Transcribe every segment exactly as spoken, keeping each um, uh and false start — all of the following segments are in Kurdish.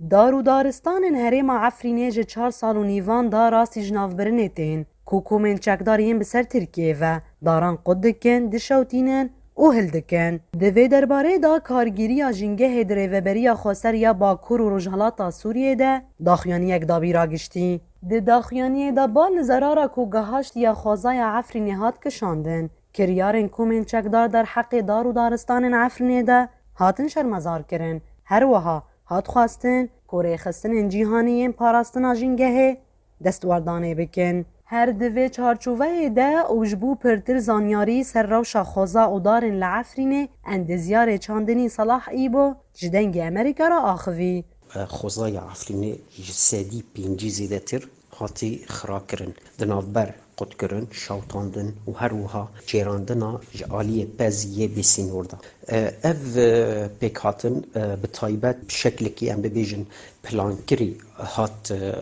Dar û daristanên herêma Efrînê ji çar sal û nîvan da rastî ji navbirinê tên, ku komên çekdar yên bi ser Tirkiyeyê ve daran qut dikin, dişewtînin û hildikin. Di vê derbareyê de kargêriya jîngehê di Rêveberiya Xweser ya Bakur û Rojhilata Sûriyê de daxuyaniyek dabî ragiştî. Di daxuyaniyê de bal li zerara ku gihaştiye xwezaya Efrînê hat kişandin. Kiryarên komên çekdar derheqê dar û daristanên Efrînê de hatin şermezar kirin. Her wiha hat xwestin ku rêxistinên cîhanî yên parastina jîngehê destwerdanê bikin. Her di vê çarçoveyê de û ji bo pirtir zanyarî ser rewşa xweza û darên li Efrînê, endezyarê çandinî Salah Îbo ji Dengê Amerîka re axivî. Xwezaya Efrînê ji sedî pêncî zêdetir hatî xirakirin. Di navber qutkirin, şewtandin û her wiha çêrandina ji aliyê pez yê bêsînor de. E, ev, e, pêkhatin, e, bi taybet bi şeklekî, em bibêjin, plankirî hat, e,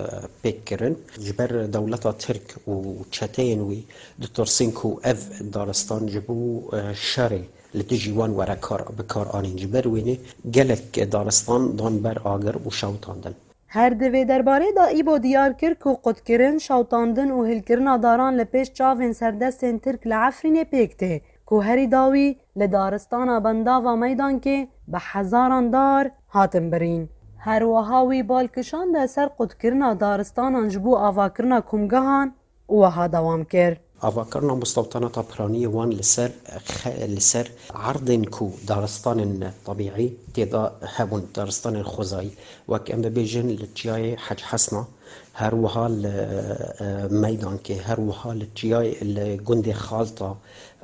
pêk kirin. Ji ber dewleta Tirk û çeteyên wî ditirsin ku ev daristan ji bo, e, şerê li dijî wan were kar, bi kar anîn. Ji ber wênê gelek daristan dan ber agir û şewtandin. Her di vê derbarê de Îbo diyar kir ku qutkirin, şewtandin û hilkirina daran li pêş çavên serdestên Tirk li Efrînê pêk tê, ku herî dawî li daristana Bendava Meydankê bi hezaran dar hatin birîn. Her wiha wî bal kişande ser qutkirina daristanan ji bo avakirina komgehan û wiha dewam kir. Avakirina mustewtanata piranî yê wan li ser xe-, li ser erdên ku daristanên tebîî tê de hebûn, daristanên xwezayî, wek em bibêjin li çiyayê Hec Hesna, her wiha li, e, Meydankê, her wiha li çiyayê, li gundê Xalta,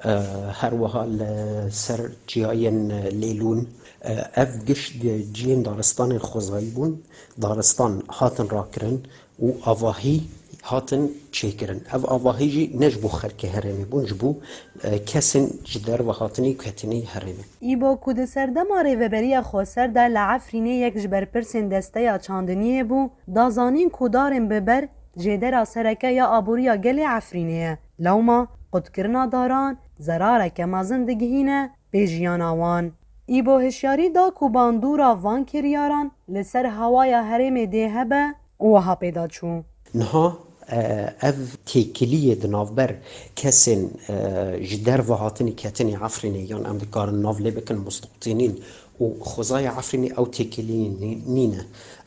e, her wiha li ser çiyayên Lêlûn, e, ev gişt ciyên daristanên xwezayî bûn, daristan hatin rakirin, û avahî hatin çêkirin. Ev avahî jî ne ji bo xelkê herêmê bûn, ji bo, e, kesên ji derve hatinî û ketinî herêmê. Îbo ku di serdema Rêveberiya Xweser de li Efrînê yek ji berpirsên desteya çandiniyê bû, da zanîn ku darên bi ber jêdera sereke ya aboriya gelê Efrînê ye. Lewma qutkirina daran zerareke mezin digihîne pê jiyana wan. Îbo hişyarî da ku bandora van kiryaran li ser hewaya herêmê dê hebe û wiha pê de çû. Niha, e, ev têkiliyê di navber kesên, e, ji derve hatinî ketinî Efrînê, yan em dikarin nav lê bikin mustewtînîn û xwezaya Efrînê, ew têkiliyê nî-, nîne.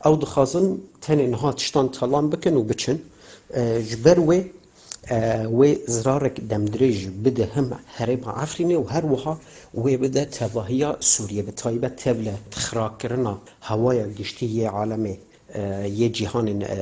Ew dixwazin tenê niha tiştan talan bikin û biçin. E, ji ber wê, e, wê zirarek demdirêj bide him herêma Efrînê û her wiha wê bide tevahiya Sûriyê, bi taybet tevle xirakirina hewaya giştî yê alemê, e, yê cîhanê, e,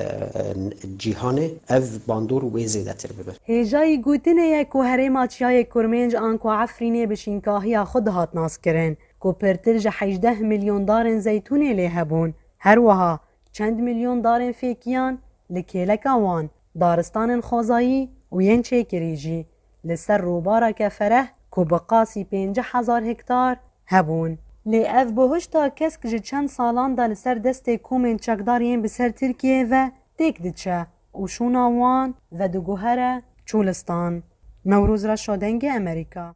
cîhanê, ev bandor wê zêdetir bibe. Hêjayî gotinê ye ku herêma Çiyayê Kurmênc anku Efrînê bi şînkahiya xwe dihat naskirin, ku pirtir ji hejdeh milyon darên zeytûnê lê hebûn. Her wiha çend milyon darên fêkiyan li kêleka wan, daristanên xwezayî û yên çêkirî jî li ser rûbareke fereh ku bi qasî pêncî hezar hektar hebûn. Lê ev buhişta kesk ji çend salan de li ser destê komên çekdar yên bi ser Tirkiyeyê ve têk diçe û şûna wan vediguhere çolistan. Newroz Reşo, Dengê Amerîka.